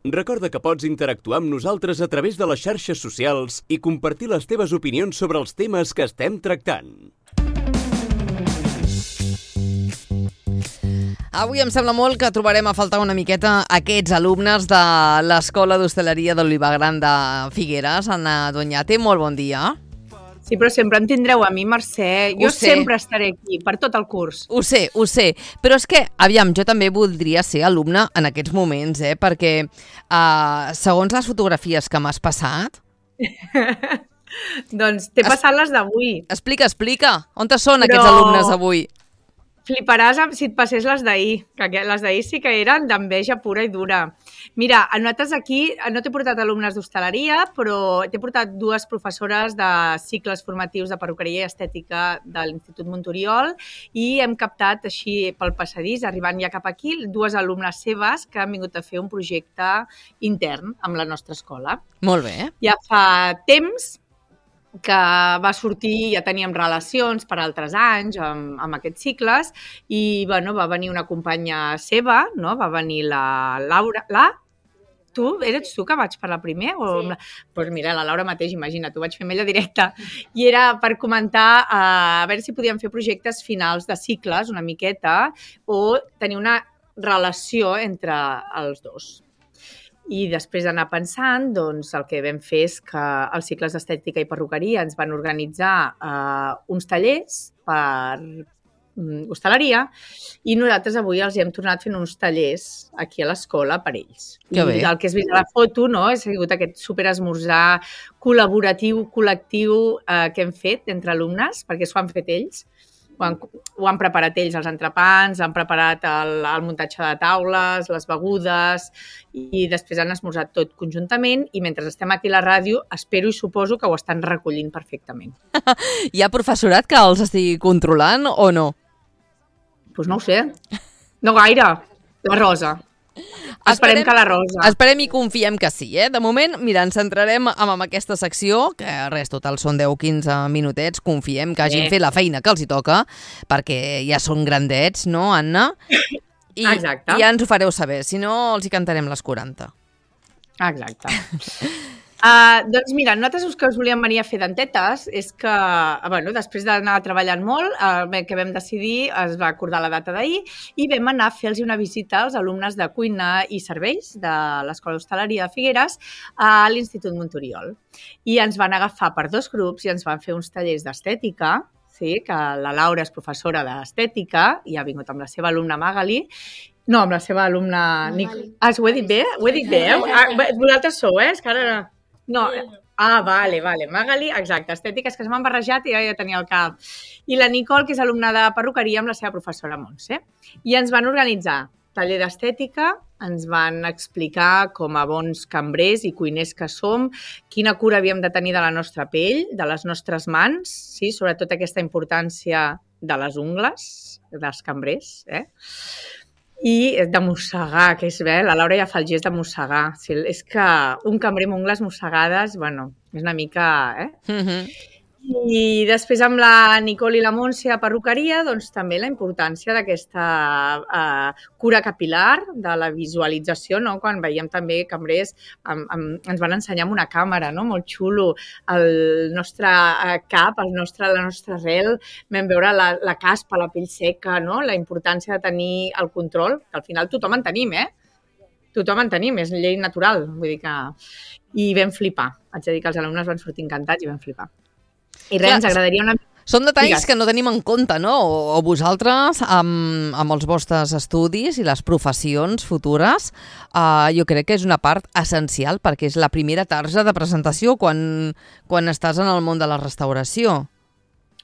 Recorda que pots interactuar amb nosaltres a través de les xarxes socials i compartir les teves opinions sobre els temes que estem tractant. Avui em sembla molt que trobarem a faltar una miqueta aquests alumnes de l'Escola d'Hostaleria d'Olivagran de Figueres. Anna Doñate, molt bon dia. Sí, però sempre em tindreu a mi, Mercè. Jo sempre estaré aquí, per tot el curs. Ho sé. Però és que, aviam, jo també voldria ser alumne en aquests moments, perquè segons les fotografies que m'has passat... Doncs t'he passat les d'avui. Explica. On són aquests alumnes avui? Fliparàs si et passés les d'ahir, que les d'ahir sí que eren d'enveja pura i dura. Mira, nosaltres aquí no t'he portat alumnes d'hostaleria, però t'he portat dues professores de cicles formatius de perruqueria i estètica de l'Institut Monturiol i hem captat així pel passadís, arribant ja cap aquí, dues alumnes seves que han vingut a fer un projecte intern amb la nostra escola. Molt bé. Ja fa temps que va sortir, ja teníem relacions per altres anys amb aquests cicles i va venir una companya seva, no? Va venir la Laura... Eres tu que vaig parlar primer? Sí. Doncs mira, la Laura mateix, imagina't, ho vaig fer amb ella directe. I era per comentar a veure si podíem fer projectes finals de cicles una miqueta o tenir una relació entre els dos. I després d'anar pensant, doncs, el que vam fer és que els cicles d'estètica i perruqueria ens van organitzar uns tallers per hostaleria i nosaltres avui els hem tornat fent uns tallers aquí a l'escola per ells. Que bé. I el que has vist a la foto, no?, ha sigut aquest superesmorzar col·laboratiu, col·lectiu que hem fet entre alumnes, perquè s'ho han fet ells. Ho han preparat ells, els entrepans, han preparat el muntatge de taules, les begudes i després han esmorzat tot conjuntament i mentre estem aquí a la ràdio espero i suposo que ho estan recollint perfectament. Hi ha professorat que els estigui controlant o no? Doncs no ho sé. No gaire. La Rosa. Esperem que la Rosa. Esperem i confiem que sí, De moment, mira, ens centrarem en aquesta secció, que res, total són 10-15 minutets, confiem que hagin fet la feina que els hi toca, perquè ja són grandets, no, Anna? Exacte. I ja ens ho fareu saber, si no els hi cantarem les 40. Exacte. Doncs mira, nosaltres el que us volíem venir a fer d'antetes és que, després d'anar treballant molt, el que vam decidir es va acordar la data d'ahir i vam anar a fer-los una visita als alumnes de cuina i serveis de l'Escola d'Hostaleria de Figueres a l'Institut Monturiol. I ens van agafar per dos grups i ens van fer uns tallers d'estètica, sí, que la Laura és professora d'estètica i ha vingut amb la seva alumna Magali. No, amb la seva alumna... Ho he dit bé? Ho he dit bé, vosaltres sou, És que ara... No, vale, Magali, exacte, estètica, és que m'han barrejat i ja tenia el cap. I la Nicole, que és alumna de perruqueria amb la seva professora Montse. I ens van organitzar taller d'estètica, ens van explicar com a bons cambrers i cuiners que som, quina cura havíem de tenir de la nostra pell, de les nostres mans, sí, sobretot aquesta importància de les ungles dels cambrers, i de mossegar, que és bé, la Laura ja fa el gest de mossegar. Sí, és que un cambrer amb ungles mossegades, és una mica... I després amb la Nicole i la Montse a perruqueria, doncs també la importància d'aquesta cura capilar, de la visualització, no? Quan veiem també cambrers, ens van ensenyar amb una càmera, no? Molt xulo, el nostre cap, la nostra arrel, vam veure la caspa, la pell seca, no? La importància de tenir el control, que al final tothom en tenim, Tothom en tenim, és llei natural, vull dir que... I vam flipar, haig de dir que els alumnes van sortir encantats i vam flipar. I res, ens agradaria una... Són detalls que no tenim en compte, no? O vosaltres, amb els vostres estudis i les professions futures, jo crec que és una part essencial perquè és la primera tarja de presentació quan estàs en el món de la restauració.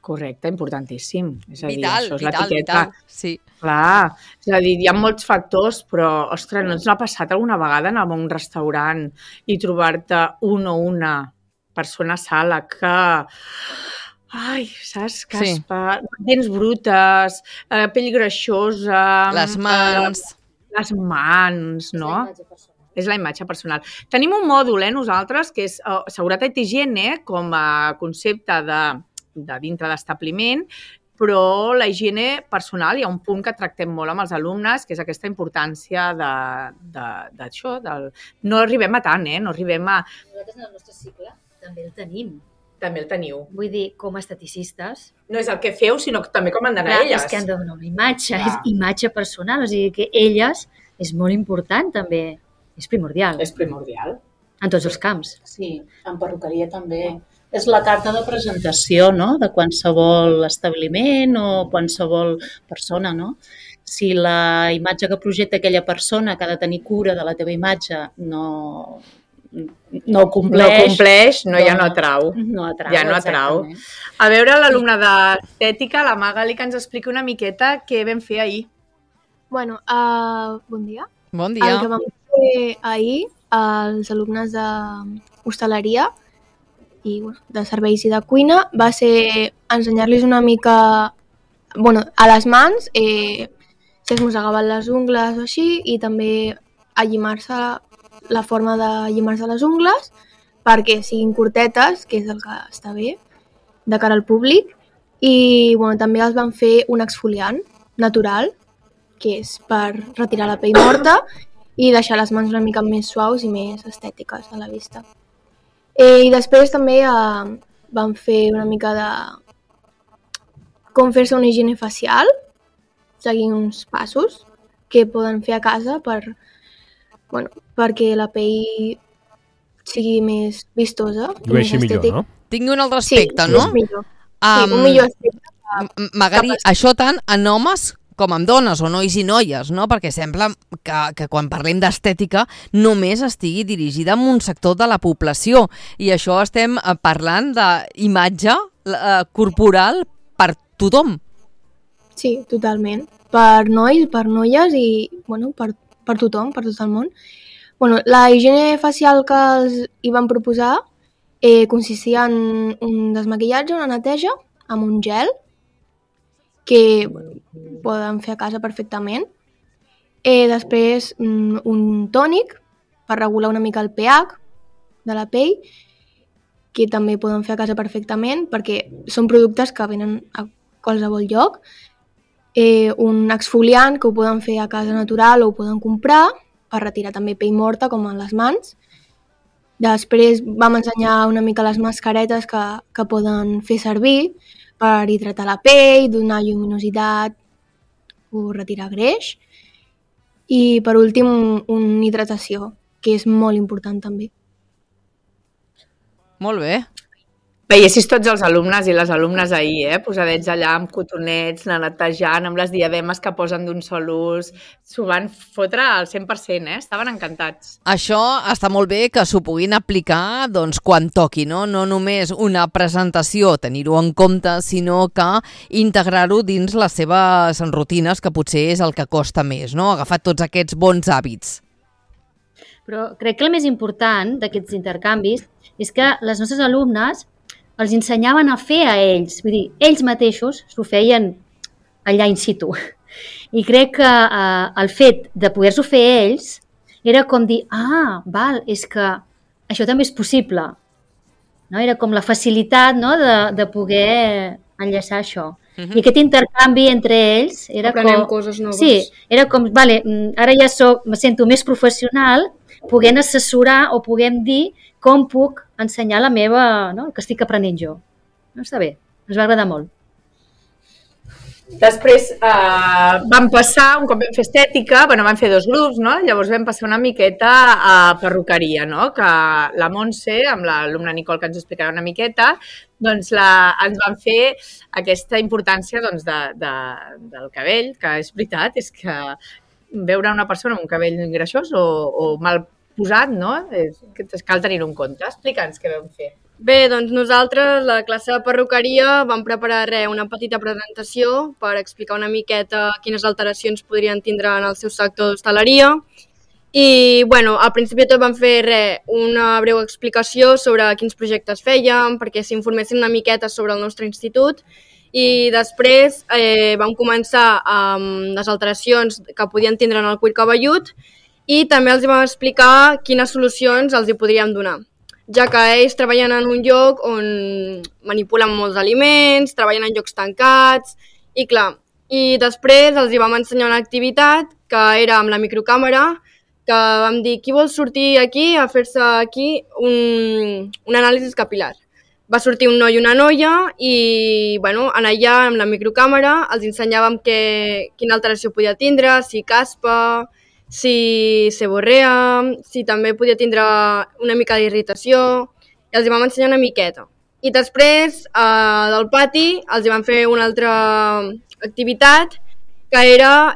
Correcte, importantíssim. És a dir, vital, això és l'etiqueta. Sí. Clar, és a dir, hi ha molts factors, però, ostres, no ens l'ha passat alguna vegada anar a un restaurant i trobar-te un o una persona sala que... Ai, saps? Caspa, dents brutes, pell greixosa... Les mans... Les mans, no? És la imatge personal. Tenim un mòdul, nosaltres, que és seguretat i higiene com a concepte de dintre d'establiment, però la higiene personal, hi ha un punt que tractem molt amb els alumnes, que és aquesta importància d'això, no arribem a tant, no arribem a... Nosaltres en el nostre cicle també el tenim. També el teniu. Vull dir, com a esteticistes... No és el que feu, sinó també com han d'anar elles. És que han de donar una imatge, és imatge personal, o sigui que elles és molt important també, és primordial. És primordial. En tots els camps. Sí, en perruqueria també. És la carta de presentació, no?, de qualsevol establiment o qualsevol persona, no? Si la imatge que projecta aquella persona que ha de tenir cura de la teva imatge no ho compleix, ja no atrau. No atrau, ja no atrau. A veure, l'alumna d'estètica, la Magali, que ens expliqui una miqueta què vam fer ahir. Bueno, bon dia. Bon dia. El que vam fer ahir, els alumnes d'hostaleria i de serveis i de cuina, va ser ensenyar-los una mica, a les mans, si es mossegaven les ungles o així, i també allimar-se, la forma de llimar-se les ungles, perquè siguin curtetes, que és el que està bé, de cara al públic, i també els van fer un exfoliant natural, que és per retirar la pell morta i deixar les mans una mica més suaus i més estètiques a la vista. I després també vam fer una mica de com fer-se una higiene facial, seguint uns passos que poden fer a casa perquè la pell sigui més vistosa. I ho vegi millor, no? Tingui un altre aspecte, no? Sí, millor. Un millor aspecte. Magali, això tant en homes com amb dones o nois i noies, no? Perquè sembla que quan parlem d'estètica només estigui dirigida a un sector de la població i això estem parlant d'imatge corporal per tothom. Sí, totalment. Per nois, per noies i per tothom, per tot el món. La higiene facial que els hi van proposar consistia en un desmaquillatge, una neteja amb un gel que poden fer a casa perfectament. Després un tònic per regular una mica el pH de la pell, que també poden fer a casa perfectament perquè són productes que venen a qualsevol lloc. Un exfoliant que ho poden fer a casa natural o ho poden comprar per retirar també pell morta com a les mans. Després vam ensenyar una mica les mascaretes que poden fer servir per hidratar la pell, donar lluminositat o retirar greix. I per últim, una hidratació, que és molt important també. Molt bé. Veiessis tots els alumnes i les alumnes ahir, posadets allà amb cotonets, netejant, amb les diademes que posen d'un sol ús. S'ho van fotre al 100%, estaven encantats. Això està molt bé que s'ho puguin aplicar quan toqui, no? No només una presentació, tenir-ho en compte, sinó que integrar-ho dins les seves rutines, que potser és el que costa més, no? Agafar tots aquests bons hàbits. Però crec que el més important d'aquests intercanvis és que les nostres alumnes els ensenyaven a fer a ells, vull dir, ells mateixos s'ho feien allà in situ. I crec que el fet de poder-s'ho fer ells era com dir, és que això també és possible. No? Era com la facilitat, no? de poder enllaçar això. I aquest intercanvi entre ells era aprenem coses noves. Sí, era com, ara ja me sento més professional, puguem assessorar o puguem dir com puc ensenyar la meva, no? El que estic aprenent jo. No, està bé, ens va agradar molt. Després vam passar, un cop vam fer estètica, vam fer 2 grups, no? Llavors vam passar una miqueta a perruqueria, no? Que la Montse, amb l'alumna Nicole, que ens explicarà una miqueta, ens van fer aquesta importància del cabell, que és veritat, és que veure una persona amb un cabell greixós o mal posat, no? Cal tenir-ho en compte. Explica'ns què vam fer. Bé, doncs nosaltres, la classe de perruqueria, vam preparar una petita presentació per explicar una miqueta quines alteracions podrien tindre en el seu sector d'hostaleria. I, al principi tot vam fer una breu explicació sobre quins projectes fèiem, perquè s'informessin una miqueta sobre el nostre institut. I després vam començar amb les alteracions que podien tindre en el cuir cabellut i també els vam explicar quines solucions els hi podríem donar. ja que ells treballen en un lloc on manipulen molts aliments, treballen en llocs tancats, i clar, i després els hi vam ensenyar una activitat que era amb la microcàmera, que vam dir, qui vol sortir aquí a fer-se aquí un anàlisi capilar? Va sortir un noi i una noia i bueno, en allà, amb la microcàmera, els ensenyàvem quina alteració podia tindre, si caspa, si seborrea, si també podia tindre una mica d'irritació, i els hi vam ensenyar una miqueta. I després, del pati, els hi vam fer una altra activitat que era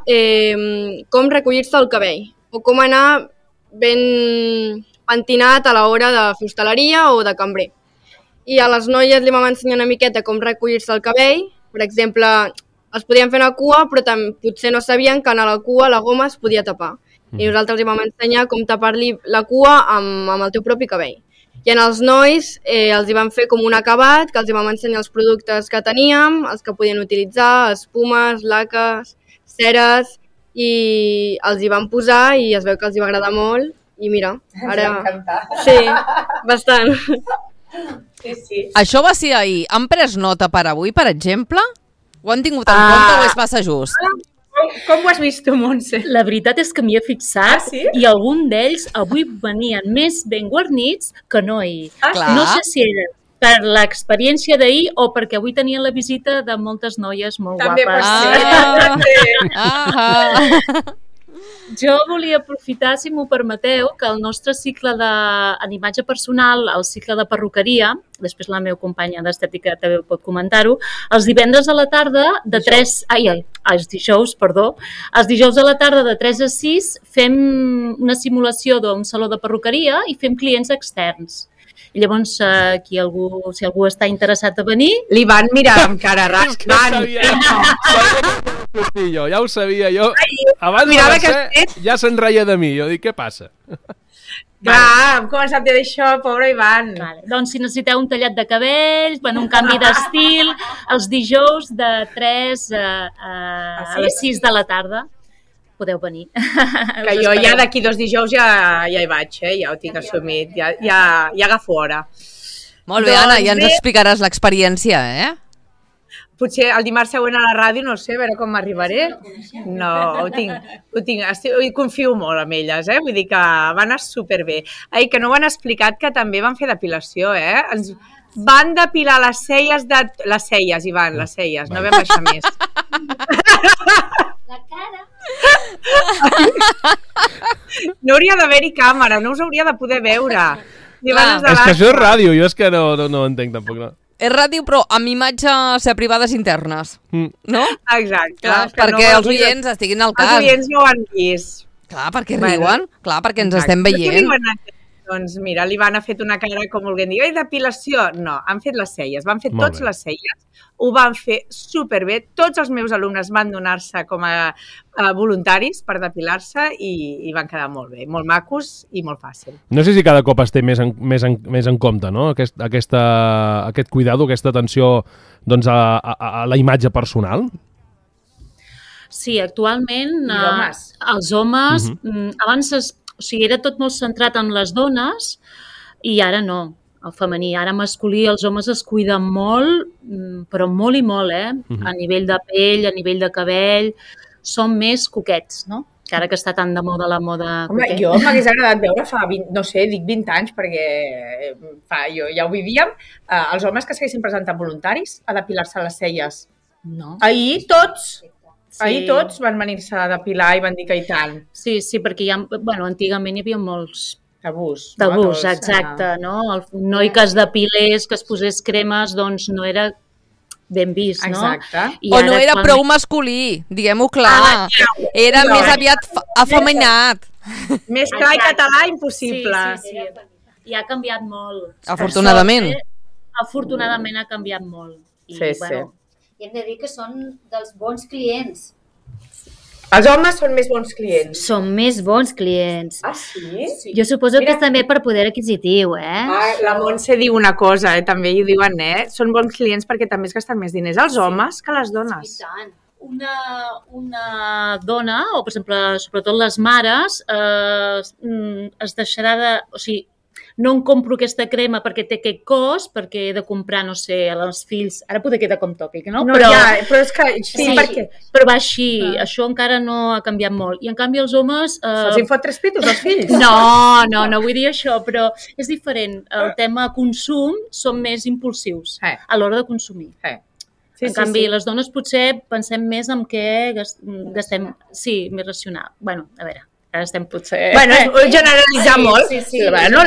com recollir-se el cabell o com anar ben pentinat a l'hora de fer hostaleria o de cambrer. I a les noies li vam ensenyar una miqueta com recollir-se el cabell. Per exemple, es podien fer una cua, però potser no sabien que a la cua la goma es podia tapar. I nosaltres li vam ensenyar com tapar-li la cua amb el teu propi cabell. I en els nois els hi vam fer com un acabat, que els hi vam ensenyar els productes que teníem, els que podien utilitzar, espumes, laques, ceres, i els hi vam posar i es veu que els hi va agradar molt. I mira, ara... Ens va encantar. Sí, bastant. Sí. Això va ser ahir. Han pres nota per avui, per exemple? Ho han tingut en compte o és massa just? Com ho has vist tu, Montse? La veritat és que m'hi he fixat sí? i algun d'ells avui venien més ben guarnits que no ahir. Clar. No sé si era per l'experiència d'ahir o perquè avui tenien la visita de moltes noies molt També guapes. Jo volia aprofitar, si m'ho permeteu, que el nostre cicle en imatge personal, el cicle de perruqueria, després la meva companya d'estètica també pot comentar-ho, els divendres a la tarda de 3... els dijous a la tarda de 3 a 6 fem una simulació d'un saló de perruqueria i fem clients externs. I llavors, si algú està interessat a venir... Li van mirar amb cara rascant. Ja ho sabia, jo. Abans de Mercè ja se'n reia de mi. Jo dic, què passa? Clar, hem començat a dir això, pobre Ivan. Vale. Doncs si necessiteu un tallat de cabells, un canvi d'estil, els dijous de 3 a les 6 de la tarda podeu venir. Que jo ja d'aquí 2 dijous ja hi vaig, ja ho tinc assumit, ja agafo hora. Molt bé, Anna, ja ens explicaràs l'experiència, Potser el dimarts següent a la ràdio, no sé, a veure com m'arribaré. No, ho tinc. Confio molt en elles, vull dir que van anar superbé. Que no ho han explicat, que també van fer depilació, Ens van depilar les celles, Ivan, les celles, no vam baixar més. La cara. No hauria d'haver-hi càmera, no us hauria de poder veure. És que això és ràdio, jo és que no ho entenc tampoc, no. És ràdio, però amb imatges privades internes, no? Exacte. Clar, perquè els oients estiguin al cas. Els oients no ho han vist. Clar, perquè riuen, clar, perquè ens estem veient. Doncs mira, l'Ivan ha fet una cara com volent dir, depilació? No, han fet les celles, van fer tots les celles, ho van fer superbé, tots els meus alumnes van donar-se com a voluntaris per depilar-se i van quedar molt bé, molt macos i molt fàcil. No sé si cada cop es té més en compte, no? Aquest cuidado, aquesta atenció doncs, a la imatge personal. Sí, actualment els homes, abans era tot molt centrat en les dones i ara no, el femení. Ara masculí, els homes es cuiden molt, però molt i molt, a nivell de pell, a nivell de cabell, són més coquets, no? Que ara que està tan de moda la moda coquet. Jo m'hagués agradat veure fa 20, no sé, dic 20 anys, perquè ja ho vivíem, els homes que s'haguessin presentat voluntaris a depilar-se les celles. No. Ahir tots van venir-se a depilar i van dir que i tant. Sí, perquè antigament hi havia molts tabús. Tabús, exacte, no? El noi que es depilés, que es posés cremes, doncs no era ben vist, no? Exacte. O no era prou masculí, diguem-ho clar. Era més aviat afeminat. Més clar i català, impossible. Sí. I ha canviat molt. Afortunadament. Afortunadament ha canviat molt. Sí. I hem de dir que són dels bons clients. Els homes són més bons clients. Són més bons clients. Ah, sí? Jo suposo que és també per poder adquisitiu, La Montse diu una cosa, també hi diuen, són bons clients perquè també es gasten més diners els homes que les dones. I tant. Una dona, o per exemple, sobretot les mares, es deixarà de... O sigui, no em compro aquesta crema perquè té aquest cost, perquè he de comprar, no sé, als fills... Ara poder quedar com tòpic, no? Però és que... Sí, perquè... Però va així, això encara no ha canviat molt. I en canvi els homes... Se'ls en fot 3 pitos, els fills? No vull dir això, però és diferent. El tema consum són més impulsius a l'hora de consumir. En canvi, les dones potser pensem més en què gastem... Sí, més racional. Bueno, a veure, ara estem potser... Bueno, és generalitzar molt. Bueno,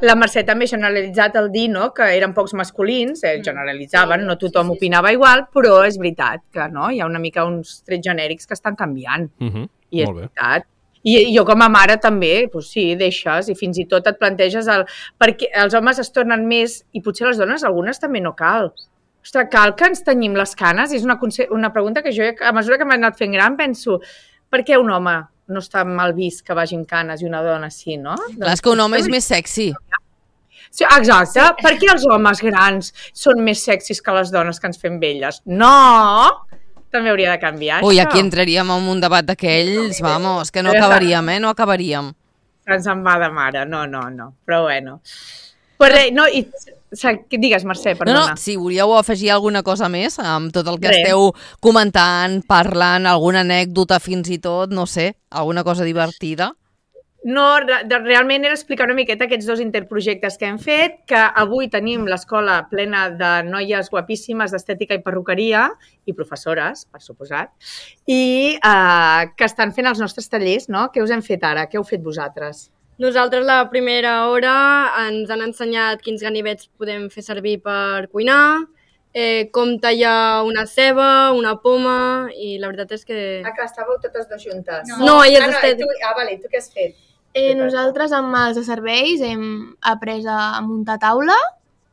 la Mercè també ha generalitzat el dir, no?, que eren pocs masculins, generalitzaven, no tothom opinava igual, però és veritat que no, hi ha una mica uns trets genèrics que estan canviant. I és veritat. I jo com a mare també, doncs sí, deixes i fins i tot et planteges perquè els homes es tornen més, i potser les dones, algunes també no cal. Ostres, cal que ens tenyim les canes? És una pregunta que jo, a mesura que m'he anat fent gran, penso, per què un home no està mal vist que vagi amb canes i una dona sí, no? Clar, és que un home és més sexy. Sí, exacte. Per què els homes grans són més sexis que les dones que ens fem velles? No! També hauria de canviar, Ui, això. aquí entraríem en un debat d'aquells, vamos, que no acabaríem, no acabaríem. Ens en va de mare, no. Però bueno. Pues res, no, i... Digues, Mercè, perdona. No, si volíeu afegir alguna cosa més amb tot el que esteu comentant, parlant, alguna anècdota fins i tot, no sé, alguna cosa divertida? No, realment era explicar una miqueta aquests 2 interprojectes que hem fet, que avui tenim l'escola plena de noies guapíssimes d'estètica i perruqueria, i professores, per suposat, i que estan fent els nostres tallers, no? Què us hem fet ara? Què heu fet vosaltres? Nosaltres la primera hora ens han ensenyat quins ganivets podem fer servir per cuinar, com tallar una ceba, una poma, i la veritat és que... que estàveu totes dues juntes. No, elles estem... Vale, tu què has fet? Nosaltres amb els de serveis hem après a muntar taula,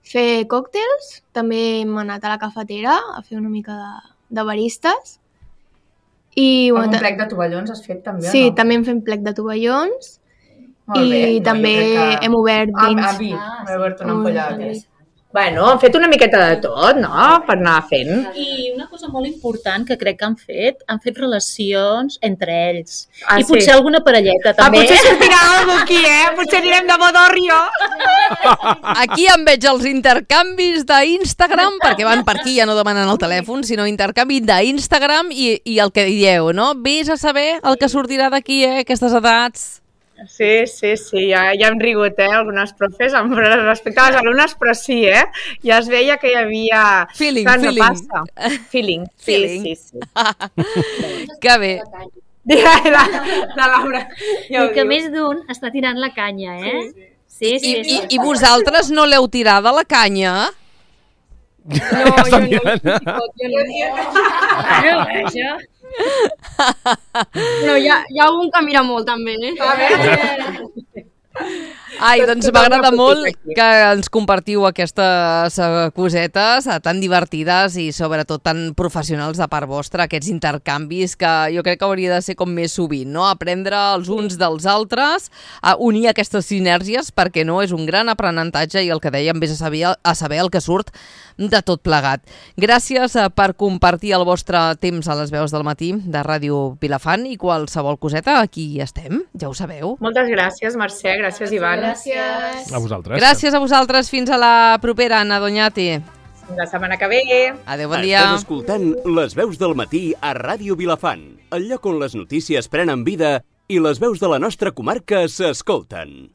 fer còctels, també hem anat a la cafetera a fer una mica de baristes. I, un plec de tovallons has fet també, sí, o no? també hem fet plec de tovallons. Molt bé. I també hem obert vins. Hem obert una ampolla de vi. Bueno, han fet una miqueta de tot, no?, per anar fent. I una cosa molt important que crec que han fet relacions entre ells. I potser alguna parelleta, també. Potser sortirà alguna aquí, Potser anirem de Bodorrio. Aquí em veig els intercanvis d'Instagram, perquè van per aquí, ja no demanen el telèfon, sinó intercanvi d'Instagram i el que dieu, no? Vés a saber el que sortirà d'aquí, aquestes edats. Sí, ja hem rigut, algunes profes, respecte a les alumnes, però sí, ja es veia que hi havia... Feeling. Sí. Que bé. La Laura. I que més d'un està tirant la canya, Sí. I vosaltres no l'heu tirada la canya? No, jo no. No, hi ha algun que mira molt, també, Ai, doncs m'agrada molt que ens compartiu aquestes cosetes tan divertides i sobretot tan professionals de part vostra, aquests intercanvis que jo crec que hauria de ser com més sovint, no? Aprendre els uns dels altres, a unir aquestes sinergies, perquè no és un gran aprenentatge i el que dèiem, vés a saber el que surt de tot plegat. Gràcies per compartir el vostre temps a les veus del matí de Ràdio Vilafant i qualsevol coseta, aquí estem, ja ho sabeu. Moltes gràcies, Mercè, gràcies, Ivan. Gràcies. A vosaltres. Gràcies a vosaltres, fins a la propera, Anna Doñati. La setmana que ve. Adéu, bon dia. Estàs escoltant Les veus del matí a Ràdio Vilafant, el lloc on les notícies prenen vida i les veus de la nostra comarca s'escolten.